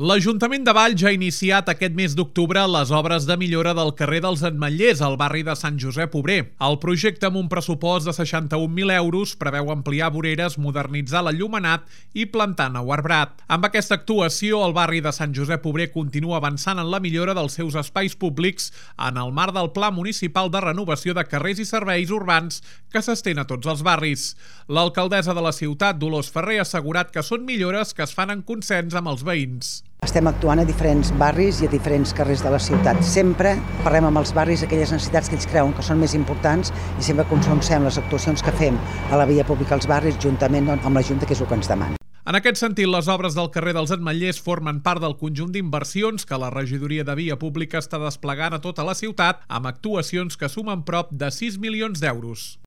L'Ajuntament de Valls ja ha iniciat aquest mes d'octubre les obres de millora del carrer dels Ametllers, al barri de Sant Josep Obrer. El projecte, amb un pressupost de 61.000 euros, preveu ampliar voreres, modernitzar l'enllumenat i plantar nou arbrat. Amb aquesta actuació, el barri de Sant Josep Obrer continua avançant en la millora dels seus espais públics en el marc del Pla Municipal de Renovació de Carrers i Serveis Urbans que s'estén a tots els barris. L'alcaldessa de la ciutat, Dolors Ferrer, ha assegurat que són millores que es fan en consens amb els veïns. Estem actuant a diferents barris i a diferents carrers de la ciutat. Sempre parlem amb els barris aquelles necessitats que ells creuen que són més importants i sempre consensem les actuacions que fem a la via pública als barris juntament amb la Junta, que és el que ens demana. En aquest sentit, les obres del carrer dels Ametllers formen part del conjunt d'inversions que la regidoria de Via Pública està desplegant a tota la ciutat amb actuacions que sumen prop de 6 milions d'euros.